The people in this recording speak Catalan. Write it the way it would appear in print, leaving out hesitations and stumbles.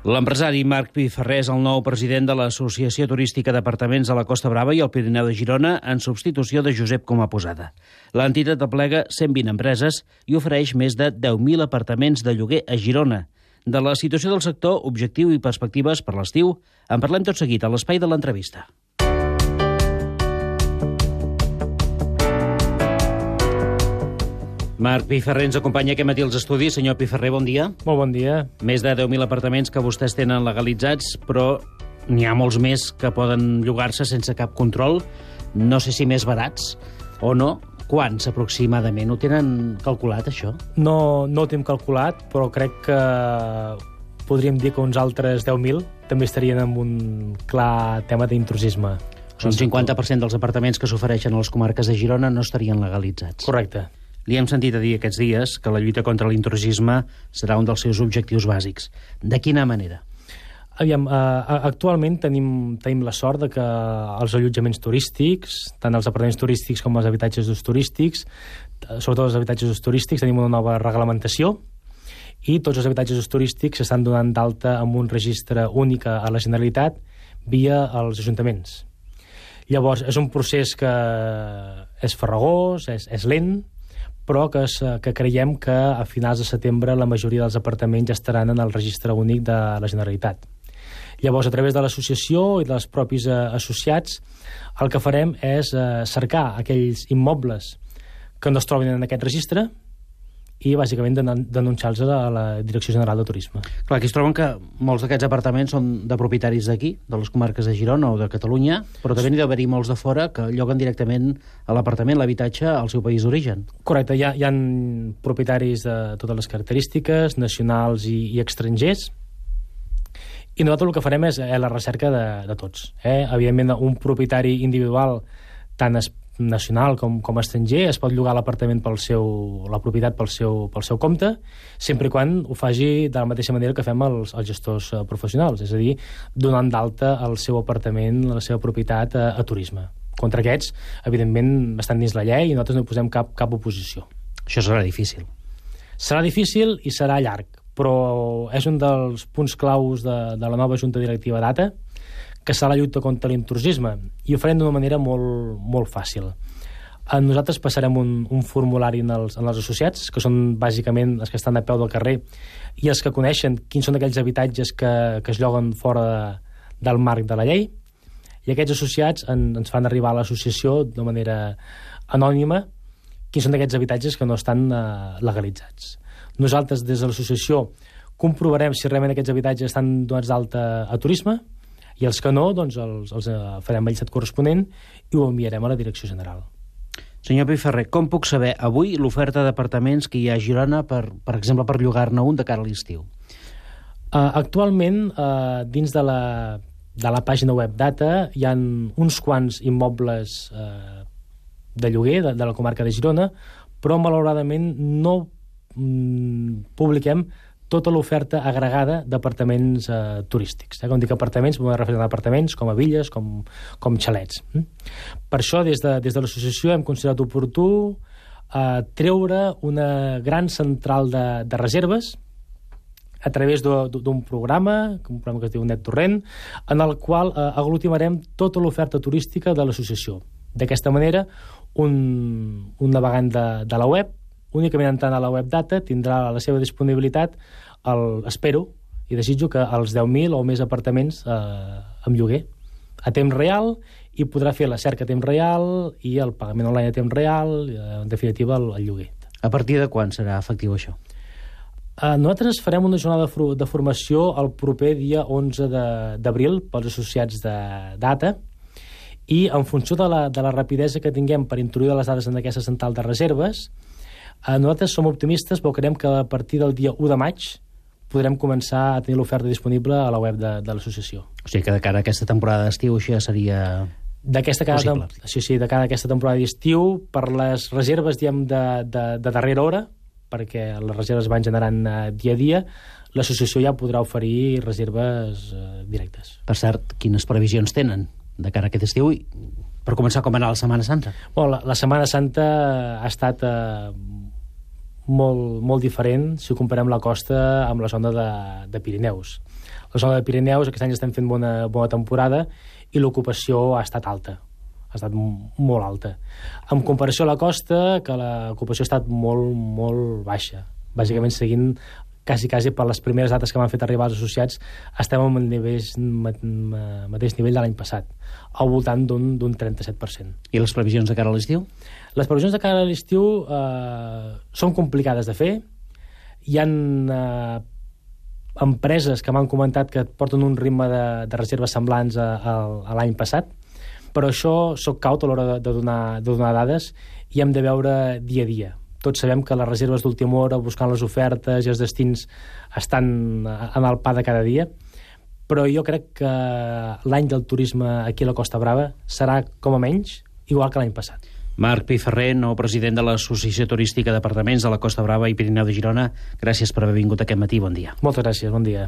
L'empresari Marc Piferrer és el nou president de l'Associació Turística d'Apartaments de la Costa Brava i el Pirineu de Girona en substitució de Josep Comaposada. L'entitat aplega 120 empreses i ofereix més de 10.000 apartaments de lloguer a Girona. De la situació del sector, objectiu i perspectives per l'estiu, en parlem tot seguit a l'espai de l'entrevista. Marc Piferrer ens acompanya aquest matí als estudis. Senyor Piferrer, bon dia. Molt bon dia. Més de 10.000 apartaments que vostès tenen legalitzats, però n'hi ha molts més que poden llogar-se sense cap control. No sé si més barats o no. Quants, aproximadament? Ho tenen calculat, això? No ho tenim calculat, però crec que podríem dir que uns altres 10.000 també estarien en un clar tema d'intrusisme. Un 50% dels apartaments que s'ofereixen a les comarques de Girona no estarien legalitzats. Correcte. Li hem sentit a dir aquests dies que la lluita contra l'intrusisme serà un dels seus objectius bàsics. De quina manera? Aviam, actualment tenim la sort de que els allotjaments turístics, tant els apartaments turístics com els habitatges d'ús turístics, sobretot els habitatges d'ús turístics, tenim una nova reglamentació i tots els habitatges d'ús turístics s'estan donant d'alta amb un registre únic a la Generalitat via els ajuntaments. Llavors, és un procés que és farragós, és lent, però que creiem que a finals de setembre la majoria dels apartaments ja estaran en el registre únic de la Generalitat. Llavors, a través de l'associació i dels propis associats, el que farem és cercar aquells immobles que no es trobin en aquest registre i, bàsicament, denunciar-los a la Direcció General de Turisme. Clar, aquí es troben que molts d'aquests apartaments són de propietaris d'aquí, de les comarques de Girona o de Catalunya, però també n'hi ha d'haver-hi molts de fora que lloguen directament a l'apartament, l'habitatge, al seu país d'origen. Correcte, hi ha propietaris de totes les característiques, nacionals i estrangers, i nosaltres el que farem és la recerca de tots. Evidentment, un propietari individual, tant nacional com estranger, es pot llogar l'apartament la propietat pel seu compte, sempre i quan ho faci de la mateixa manera que fem els gestors professionals, és a dir, donant d'alta el seu apartament, la seva propietat a turisme. Contra aquests, evidentment, estan dins la llei i nosaltres no hi posem cap oposició. Això serà difícil. Serà difícil i serà llarg, però és un dels punts claus de la nova Junta Directiva d'ATA, que serà la lluita contra l'intrusisme, i ho farem d'una manera molt, molt fàcil. Nosaltres passarem un formulari als associats, que són bàsicament els que estan a peu del carrer i els que coneixen quins són aquells habitatges que es lloguen fora del marc de la llei, i aquests associats ens fan arribar a l'associació de manera anònima quins són aquells habitatges que no estan legalitzats. Nosaltres, des de l'associació, comprovarem si realment aquests habitatges estan donats d'alta a turisme, i els que no, doncs els farem el llistat corresponent i ho enviarem a la Direcció General. Senyor Piferrer, com puc saber avui l'oferta d'apartaments que hi ha a Girona, per exemple, per llogar-ne un de cara a l'estiu? Actualment, dins de la pàgina web d'ATA, hi ha uns quants immobles de lloguer de la comarca de Girona, però malauradament no publiquem tota l'oferta agregada d'apartaments turístics. Quan dic apartaments, m'ho refereixo a apartaments com a villes, com xalets. Per això, des de l'associació hem considerat oportú treure una gran central de reserves a través d'un programa que es diu NetTorrent, en el qual aglutimarem tota l'oferta turística de l'associació. D'aquesta manera, un navegant de la web, únicament entrant a la web d'ATA, tindrà a la seva disponibilitat, espero i desitjo que els 10.000 o més apartaments amb lloguer a temps real, i podrà fer la cerca a temps real i el pagament online a temps real, en definitiva el lloguer. A partir de quan serà efectiu això? Nosaltres farem una jornada de formació el proper dia 11 d'abril pels associats d'ATA, i en funció de la rapidesa que tinguem per introduir les dades en aquesta central de reserves, nosaltres som optimistes, però creiem que a partir del dia 1 de maig podrem començar a tenir l'oferta disponible a la web de l'associació. O sigui que de cara a aquesta temporada d'estiu això ja seria possible. Sí, de cara a aquesta temporada d'estiu, per les reserves, diem, de darrera hora, perquè les reserves van generant dia a dia, l'associació ja podrà oferir reserves directes. Per cert, quines previsions tenen de cara a aquest estiu? Per començar, com ha anat la Setmana Santa? La Setmana Santa ha estat molt diferent si comparem la costa amb la zona de Pirineus. La zona de Pirineus aquest any estem fent bona temporada i l'ocupació ha estat alta, ha estat molt alta. En comparació a la costa, que l'ocupació ha estat molt baixa. Bàsicament seguint quasi per les primeres dates que m'han fet arribar els associats, estem al mateix nivell de l'any passat, al voltant d'un 37%. I les previsions de cara a l'estiu? Les previsions de cara a l'estiu són complicades de fer. Hi ha empreses que m'han comentat que porten un ritme de reserves semblants a l'any passat, però això soc caut a l'hora de donar dades i hem de veure dia a dia. Tots sabem que les reserves d'última hora, buscant les ofertes i els destins, estan en el pa de cada dia, però jo crec que l'any del turisme aquí a la Costa Brava serà, com a menys, igual que l'any passat. Marc Piferrer, nou president de l'Associació Turística d'Apartaments de la Costa Brava i Pirineu de Girona, gràcies per haver vingut aquest matí. Bon dia. Moltes gràcies, bon dia.